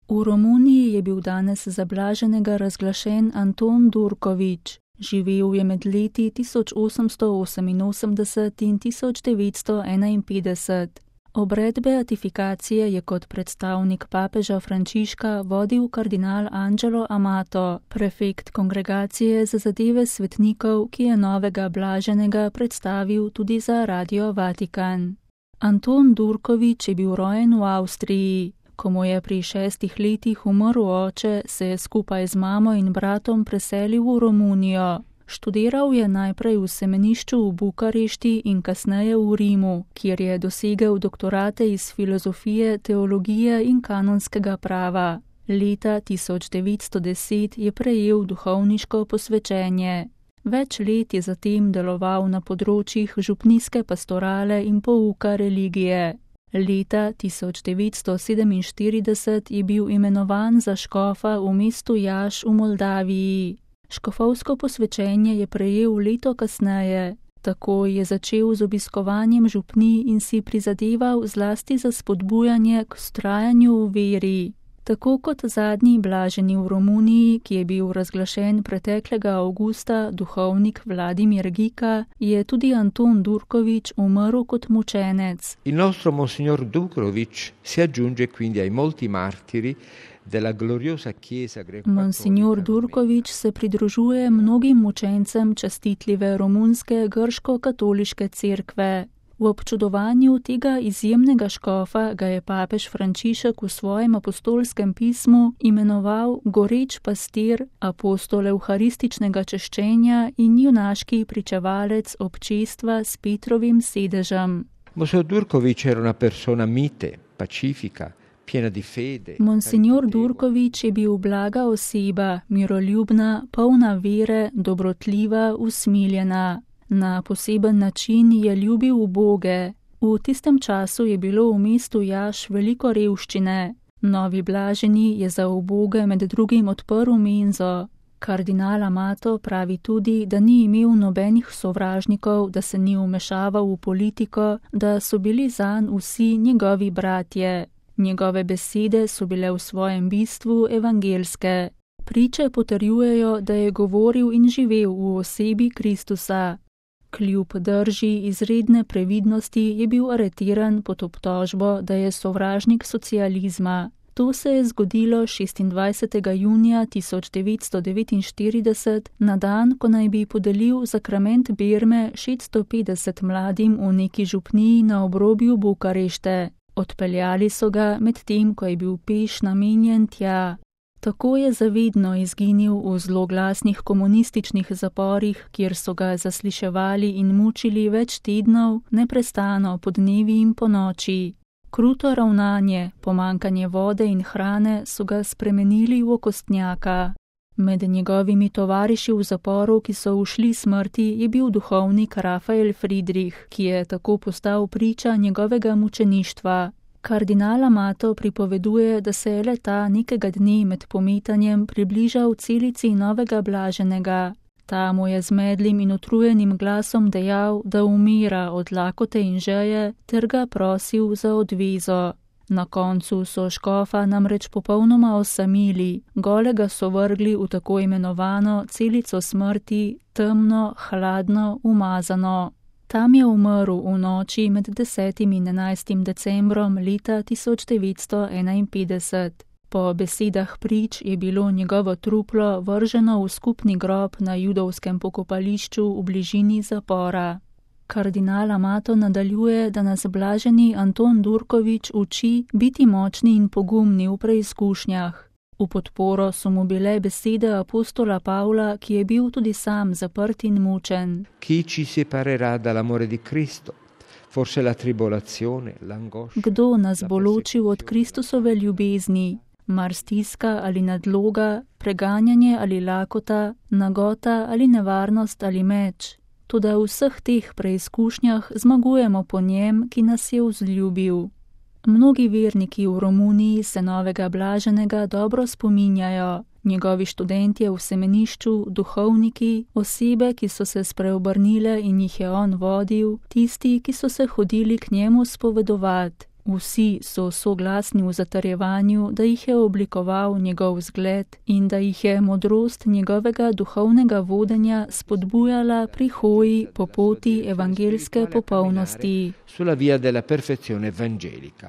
V Romuniji je bil danes za blaženega razglašen Anton Durković. Živel je med leti 1888 in 1951. Obred beatifikacije je kot predstavnik papeža Frančiška vodil kardinal Angelo Amato, prefekt kongregacije za zadeve svetnikov, ki je novega blaženega predstavil tudi za Radio Vatikan. Anton Durković je bil rojen v Avstriji. Ko mu je pri 6 letih umrl oče, se je skupaj z mamo in bratom preselil v Romunijo. Študiral je najprej v semenišču v Bukarešti in kasneje v Rimu, kjer je dosegel doktorate iz filozofije, teologije in kanonskega prava. Leta 1910 je prejel duhovniško posvečenje. Več let je zatem deloval na področjih župnijske pastorale in pouka religije. Leta 1947 je bil imenovan za škofa v mestu Jaš v Moldaviji. Škofovsko posvečenje je prejel leto kasneje. Tako je začel z obiskovanjem župnij in si prizadeval zlasti za spodbujanje k vztrajanju v veri. Tako kot zadnji blaženi v Romuniji, ki je bil razglašen preteklega avgusta, duhovnik Vladimir Gika, je tudi Anton Durković umrl kot mučenec. Il nostro Monsignor Durković si aggiunge quindi ai molti martiri della gloriosa Chiesa greco-cattolica. Monsignor Durković se pridružuje mnogim mučencem častitljive romunske grško-katoliške cerkve. V občudovanju tega izjemnega škofa ga je papež Frančišek v svojem apostolskem pismu imenoval goreč pastir, apostol evharističnega češčenja in junaški pričevalec občestva s Petrovim sedežem. Monsignor Durković era una persona mite, pacifica, piena di fede. Monsignor Durković je bil blaga oseba, miroljubna, polna vere, dobrotljiva, usmiljena. Na poseben način je ljubil uboge. V tistem času je bilo v mestu Jaš veliko revščine. Novi blaženi je za uboge med drugim odprl menzo. Kardinal Amato pravi tudi, da ni imel nobenih sovražnikov, da se ni vmešaval v politiko, da so bili zanj vsi njegovi bratje. Njegove besede so bile v svojem bistvu evangelske. Priče potrjujejo, da je govoril in živel v osebi Kristusa. Kljub drži izredne previdnosti je bil aretiran pod obtožbo, da je sovražnik socializma. To se je zgodilo 26. junija 1949, na dan, ko naj bi podelil zakrament berme 650 mladim v neki župniji na obrobju Bukarešte. Odpeljali so ga med tem, ko je bil peš namenjen tja. Tako je zavedno izginil v zloglasnih komunističnih zaporih, kjer so ga zasliševali in mučili več tednov, neprestano podnevi in ponoči. Kruto ravnanje, pomanjkanje vode in hrane so ga spremenili v okostnjaka. Med njegovimi tovariši v zaporu, ki so ušli smrti, je bil duhovnik Rafael Friedrich, ki je tako postal priča njegovega mučeništva. Kardinal Amato pripoveduje, da se je le-ta nekega dne med pometanjem približal celici novega blaženega. Ta mu je z medlim in utrujenim glasom dejal, da umira od lakote in žeje, ter ga prosil za odvezo. Na koncu so škofa namreč popolnoma osamili, golega so vrgli v tako imenovano celico smrti, temno, hladno, umazano. Tam je umrl v noči med 10. in 11. decembrom leta 1951. Po besedah prič je bilo njegovo truplo vrženo v skupni grob na judovskem pokopališču v bližini zapora. Kardinal Amato nadaljuje, da nas blaženi Anton Durković uči biti močni in pogumni v preizkušnjah. V podporo so mu bile besede apostola Pavla, ki je bil tudi sam zaprt in mučen. Chi ci separerà dall'amore di Cristo? Forse la tribolazione, l'angoscia. Kdo nas bo ločil od Kristusove ljubezni? Mar stiska ali nadloga, preganjanje ali lakota, nagota ali nevarnost ali meč? Toda v vseh teh preizkušnjah zmagujemo po njem, ki nas je vzljubil. Mnogi verniki v Romuniji se novega blaženega dobro spominjajo. Njegovi študentje v semenišču, duhovniki, osebe, ki so se spreobrnile in jih je on vodil, tisti, ki so se hodili k njemu spovedovat. Vsi so soglasni v zatrjevanju, da jih je oblikoval njegov zgled in da jih je modrost njegovega duhovnega vodenja spodbujala pri hoji po poti evangelske popolnosti. Sulla via della perfezione evangelica.